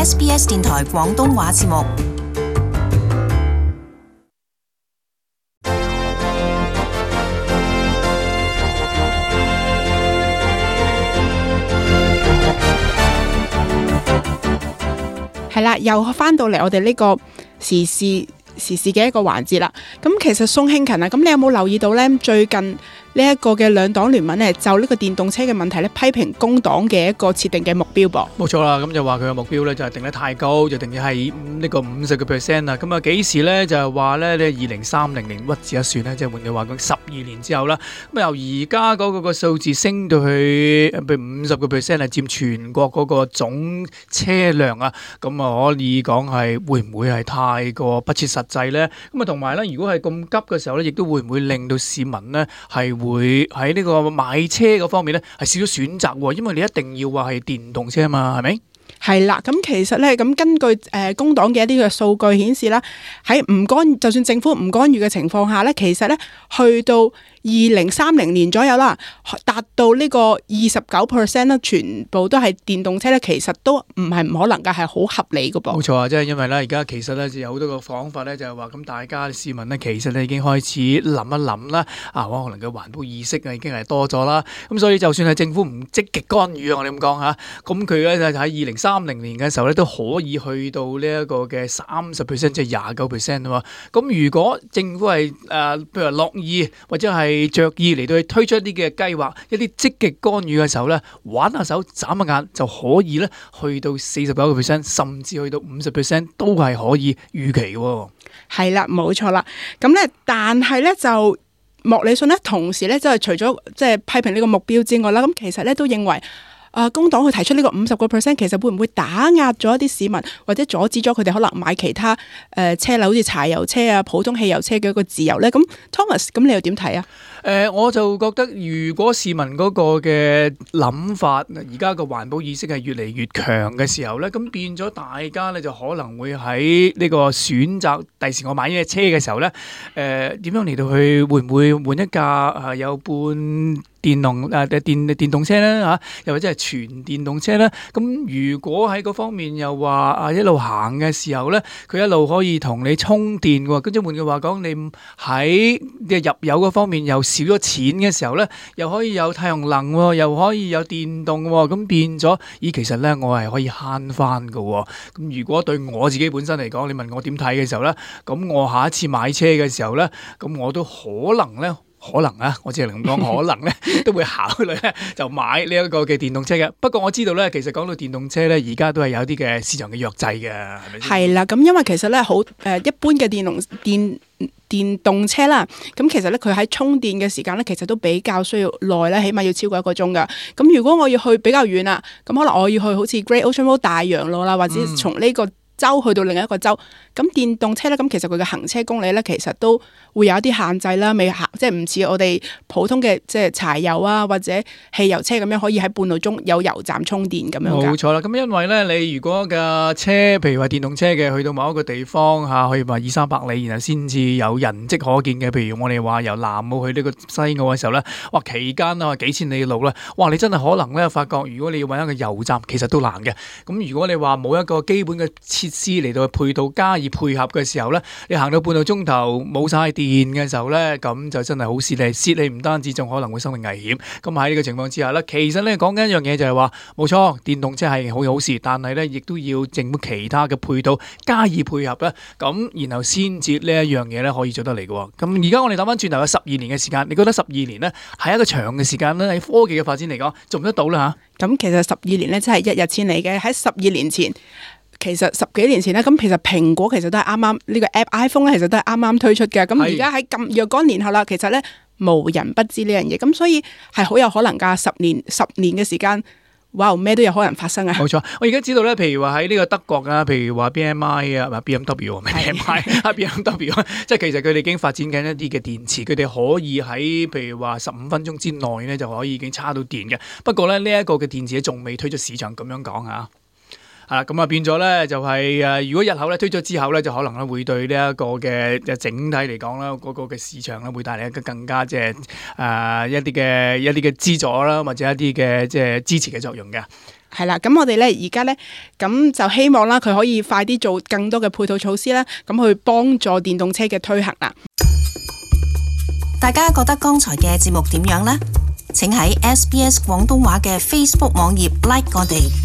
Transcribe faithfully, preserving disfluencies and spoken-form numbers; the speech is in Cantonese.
S B S 電台廣東話節目。係啦，又翻到嚟我哋呢個時事時事嘅一個環節啦。咁其實宋慶勤啊，咁你有冇留意到呢？最近呢一個嘅兩黨聯盟呢，就呢個電動車嘅問題呢，批評工黨嘅一個設定嘅目標噃。冇錯啦，咁就話佢嘅目標呢，就係定得太高，就定嘅係呢個五十個 percent 啦。咁啊幾時呢？就係話呢，你二零三零年屈指一算呢，即係換句話講，十二年之後啦。咁由而家嗰個個數字升到去譬如五十個 percent 係佔全國嗰個總車輛啊，咁啊可以講係會唔會係太過不切實際呢？咁啊同埋呢，如果係咁急嘅時候呢，亦都會唔會令到市民呢係會喺呢個買車嗰方面呢係少咗選擇喎？因為你一定要話係電動車嘛，係咪？係啦，咁其實咧，咁根據誒、呃、工黨嘅一啲嘅數據顯示啦，喺唔干就算政府唔干預嘅情況下咧，其實咧去到二零三零年左右啦，達到呢個二十九 percent 啦，全部都係電動車咧，其實都唔係唔可能㗎，係好合理㗎噃。冇錯啊，即係因為咧，而家其實咧就有好多個講法咧，就係話咁大家市民咧，其實咧已經開始諗一諗啦，啊，可能嘅環保意識啊已經係多咗啦，咁所以就算係政府唔積極干預啊，我哋咁講嚇，咁佢咧就喺二零三零年嘅時候咧都可以去到呢一個嘅三十 percent， 即係廿九 percent 啊嘛。咁如果政府係誒、呃，譬如話樂意或者係着意嚟到去推出一啲嘅計劃，一啲積極干預嘅時候咧，玩下手眨下眼就可以咧去到四十九個 percent， 甚至去到五十 percent 都係可以預期嘅。係啦，冇錯啦。咁咧，但係咧就莫里遜咧，同時咧即係除咗即係批評呢個目標之外啦，咁其實咧都認為。啊、呃，工黨去提出呢個五十個 percent， 其實會唔會打壓咗一啲市民，或者阻止咗佢哋可能買其他誒、呃、車輛，好似柴油車啊、普通汽油車嘅一個自由呢？咁 Thomas， 咁你又點睇啊？誒、呃，我就覺得如果市民嗰個嘅諗法，而家個環保意識係越嚟越強嘅時候呢，咁變咗大家呢，就可能會喺呢個選擇第時我買呢隻車嘅時候呢，誒、呃、點樣嚟到去會唔會換一架啊有半電動誒、啊、電電動車咧嚇，又或者係全電動車咧？咁如果喺嗰方面又話啊一路行嘅時候咧，佢一路可以同你充電喎。跟住換句話講，你喺嘅入油嗰方面又少咗錢嘅時候咧，又可以有太陽能喎，又可以有電動喎，咁變咗咦，其實咧我係可以慳翻㗎喎。咁如果對我自己本身嚟講，你問我點睇嘅時候咧，咁我下一次買車嘅時候咧，咁我都可能咧。可能啊，我只係咁講，可能咧都會考慮咧就買呢一個嘅電動車嘅。不過我知道咧，其實講到電動車咧，而家都係有啲嘅市場嘅弱勢嘅，係咪先？係啦，咁因為其實咧好誒一般嘅電動電電動車啦，咁其實咧佢喺充電嘅時間咧，其實都比較需要耐咧，起碼要超過一個鐘噶。咁如果我要去比較遠啦，咁可能我要去好似 Great Ocean Road 大洋路啦，或者從呢個州去到另一個州，咁電動車咧，咁其實佢嘅行車公里咧，其實都會有一啲限制啦，未行即係唔似我哋普通嘅即係柴油啊或者汽油車咁樣可以喺半路中有油站充電咁樣㗎。冇錯啦，咁因為咧，你如果嘅車，譬如話電動車嘅，去到某一個地方嚇，可以話二三百里，然後先至有人跡可見嘅。譬如我哋話由南澳去呢個西澳嘅時候咧，哇期間啊幾千里嘅路咧，哇你真係可能咧發覺，如果你要揾一個油站，其實都難嘅。咁如果你話冇一個基本嘅設施嚟到配套加以配合嘅時候咧，你行到半個鐘頭冇晒電嘅時候咧，咁就真係好蝕你，蝕你唔單止仲可能會生命危險。咁喺呢個情況之下咧，其實咧講緊一樣嘢就係話，冇錯，電動車係好好事，但係咧亦都要政府其他嘅配套加以配合咧，咁然後先至呢一樣嘢咧可以做得嚟嘅。咁而家我哋諗翻轉頭有十二年嘅時間，你覺得十二年咧係一個長嘅時間咧？喺科技嘅發展嚟講，做唔得到啦嚇？咁其實十二年咧真係一日千里嘅。喺十二年前。其實十幾年前咧，咁其實蘋果其實都係啱啱呢個 app iPhone 咧，其實都係啱啱推出嘅。咁而家喺咁若干年後啦，其實咧無人不知呢樣嘢，咁所以係好有可能㗎。十年十年嘅時間，哇，咩都有可能發生啊！冇錯，我而家知道咧，譬如話喺呢個德國啊，譬如話 B M I 啊，唔係 B M W 唔係 B M I 啊 B M W， 即係其實佢哋已經發展緊一啲嘅電池，佢哋可以喺譬如話十五分鐘之內咧就可以已經叉到電嘅。不過咧呢一個嘅電池仲未推出市場，咁樣講嚇。啊，咁啊變咗咧就係、是、誒，如果日後咧推咗之後咧，就可能咧會對呢一個嘅整體嚟講啦，嗰、那個嘅市場咧會帶嚟一個更加即係誒一啲嘅一啲嘅資助啦，或者一啲嘅即係支持嘅作用嘅。係啦，咁我哋咧而家咧，咁就希望啦，佢可以快啲做更多嘅配套措施啦，咁去幫助電動車嘅推行啦。大家覺得剛才嘅節目點樣呢？請喺 S B S 廣東話嘅 Facebook 網頁 like 我哋。